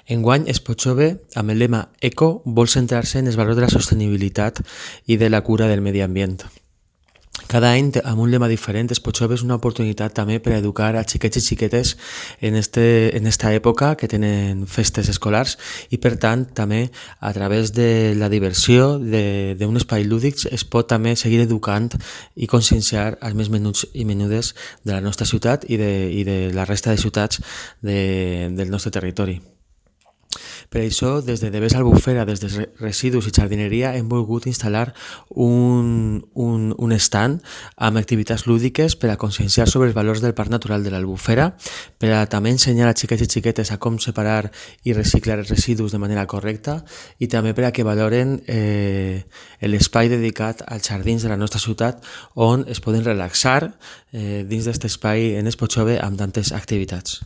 Enguany, Spochove, amb el lema Eco, vol centrar-se en els valors de la sostenibilitat i de la cura del medi ambient. Cada any, amb un lema diferent, Spochove és una oportunitat també per a educar a xiquets i xiquetes en esta època que tenen festes escolars i, per tant, també a través de la diversió d'un espai lúdic es pot també seguir educant i conscienciar els més menuts i menudes de la nostra ciutat i de la resta de ciutats del nostre territori. Per això, des de Devesa Albufera, des de Residus i Jardineria, hem volgut instal·lar un stand amb activitats lúdiques per a conscienciar sobre els valors del Parc Natural de l'Albufera, per a també ensenyar a xiquets i xiquetes a com separar i reciclar els residus de manera correcta i també per a que valoren l'espai dedicat als jardins de la nostra ciutat on es poden relaxar dins d'aquest espai en Spochove amb tantes activitats.